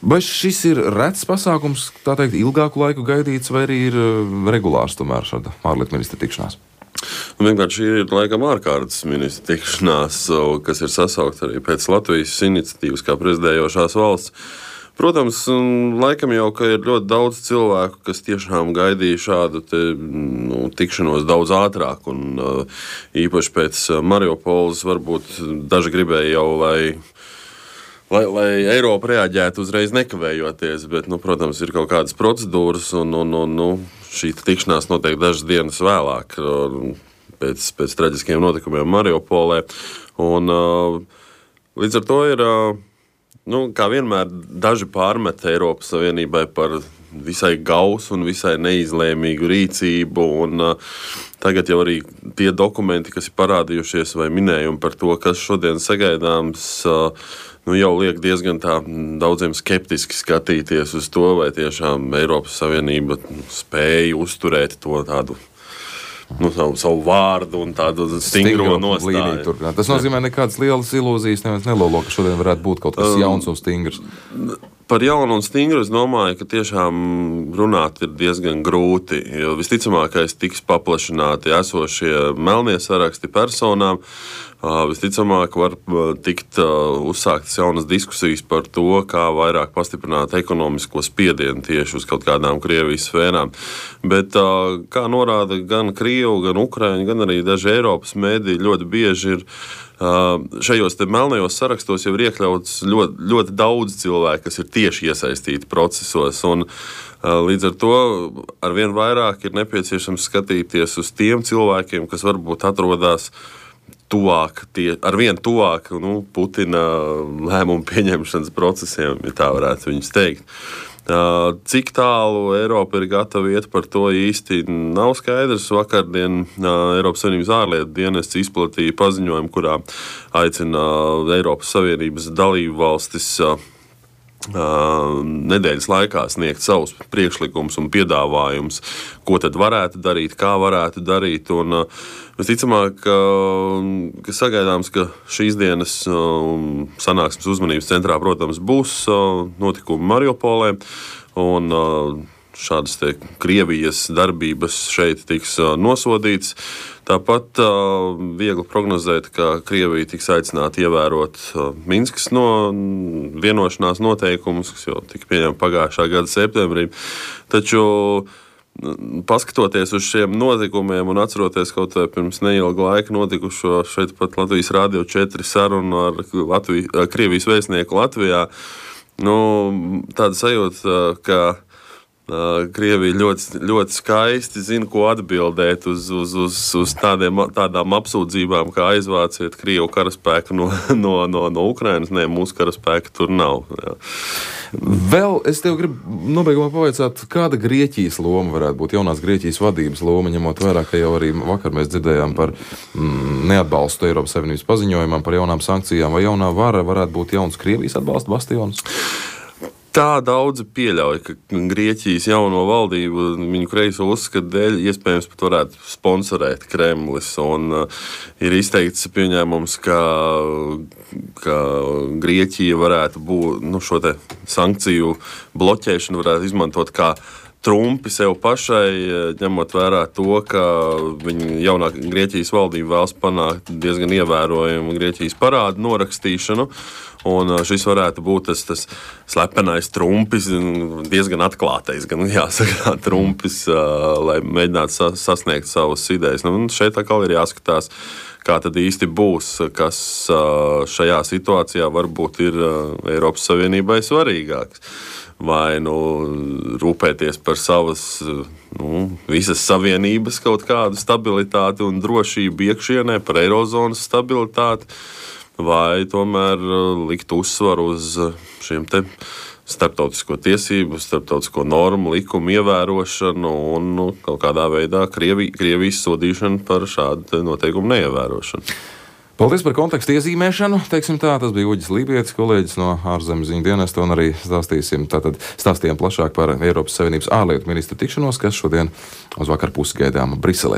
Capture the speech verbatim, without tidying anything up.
Vai šis ir rets pasākums, tā teikt, ilgāku laiku gaidīts, vai arī ir regulārs tomēr šāda ārlietu ministra tikšanās? Vienkārši šī ir laikam ārkārtas ministra tikšanās, kas ir sasaukt arī pēc Latvijas iniciatīvas kā prezidējošās valsts. Protams, laikam jau, ka ir ļoti daudz cilvēku, kas tiešām gaidīja šādu te, nu, tikšanos daudz ātrāk, un uh, īpaši pēc Mariupoles varbūt daži gribēja jau, lai, lai, lai Eiropa reaģētu uzreiz nekavējoties, bet, nu, protams, ir kaut kādas procedūras, un, un, un nu, šī tikšanās notiek dažas dienas vēlāk pēc, pēc traģiskiem notikumiem Mariupolē, un uh, līdz ar to ir... Uh, Nu, kā vienmēr, daži pārmet Eiropas Savienībai par visai gausu un visai neizlēmīgu rīcību. Un, uh, tagad jau arī tie dokumenti, kas ir parādījušies, vai minējumi par to, kas šodien sagaidāms, uh, nu, jau liek diezgan tā daudziem skeptiski skatīties uz to, vai tiešām Eiropas Savienība spēja uzturēt to tādu. Nu, savu, savu vārdu un tādu stingro nostāju. Tas nozīmē, nekādas lielas ilūzijas neviens nelolo, ka šodien varētu būt kaut kas jauns un stingrs. Par jaunu un stingru es domāju, ka tiešām runāt ir diezgan grūti, jo visticamākais tiks paplašināti esošie melnie saraksti personām. Visticamāk var tikt uzsāktas jaunas diskusijas par to, kā vairāk pastiprināt ekonomisko spiedienu tieši uz kaut kādām Krievijas sfērām. Bet, kā norāda gan Krievu, gan Ukraiņu, gan arī daži Eiropas mēdī, ļoti bieži ir šajos te melnajos sarakstos jau ir iekļauts ļoti, ļoti daudz cilvēku, kas ir tieši iesaistīti procesos. Un, līdz ar to arvien vairāk ir nepieciešams skatīties uz tiem cilvēkiem, kas varbūt atrodas tuvāk, tie, arvien tuvāk nu, Putina lēmumu pieņemšanas procesiem, ja tā varētu viņus teikt. Cik tālu Eiropa ir gatava iet, par to īsti nav skaidrs. Vakardien Eiropas Savienības ārlietu dienests izplatīja paziņojumu, kurā aicina Eiropas Savienības dalību valstis nedēļas laikā sniegt savus priekšlikumus un piedāvājumus, ko tad varētu darīt, kā varētu darīt. Un visticamāk, ka sagaidāms, ka šīs dienas sanāksmes uzmanības centrā, protams, būs notikumi Mariupolē, un šādas te Krievijas darbības šeit tiks nosodīts. Tāpat uh, viegli prognozēt, ka Krievija tiks aicināta ievērot uh, Minskas no vienošanās noteikumus, kas jau tika pieņemti pagājušā gada septembrī. Taču, paskatoties uz šiem notikumiem un atceroties kaut vai pirms neilga laika notikušo šeit pat Latvijas Rādio četri sarunu ar Latviju, Krievijas vēstnieku Latvijā, nu, tāda sajūta, ka Krievija ļoti, ļoti skaisti zina, ko atbildēt uz, uz, uz, uz tādiem, tādām apsūdzībām, kā aizvāciet Krievu karaspēku no, no, no, no Ukrainas. Nē, mūsu karaspēka tur nav. Jā. Vēl es tev gribu nobeigumā pavaicāt, kāda Grieķijas loma varētu būt, jaunās Grieķijas vadības loma, ņemot vērā, ka jau arī vakar mēs dzirdējām par mm, neatbalstu Eiropas Savienības paziņojumam, par jaunām sankcijām, vai jaunā vara varētu būt jauns Krievijas atbalsta bastions? Tā daudzi pieļauj, ka Grieķijas jauno valdību viņu kreiso uzskatu dēļ iespējams pat varētu sponsorēt Kremlis. Un uh, ir izteikts pieņēmums, ka, ka Grieķija varētu būt, nu, šo te sankciju bloķēšanu varētu izmantot kā trumpi sev pašai, ņemot vērā to, ka viņa jaunā Grieķijas valdība vēlas panākt diezgan ievērojumu Grieķijas parādu norakstīšanu. Un šis varētu būt tas, tas slepenais trumpis, diezgan atklātais, gan jāsaka, trumpis, lai mēģinātu sasniegt savas idejas. Nu, šeit atkal ir jāskatās, kā tad īsti būs, kas šajā situācijā varbūt ir Eiropas Savienībai svarīgāks. Vai nu, rūpēties par savas nu, visas savienības kaut kādu stabilitāti un drošību iekšienē, par eirozonas stabilitāti, vai tomēr likt uzsvaru uz šiem te starptautisko tiesību, starptautisko normu, likumu ievērošanu un nu, kaut kādā veidā Krievi, Krievijas sodīšanu par šādu noteikumu neievērošanu. Paldies par kontekstu iezīmēšanu. Teiksim tā, tas bija Uģis Lībietis, kolēģis no ārzemes ziņu dienesta, un arī stāstīsim, tātad stāstījām plašāk par Eiropas Savienības ārlietu ministru tikšanos, kas šodien uz vakar pusi gaidām Briselē.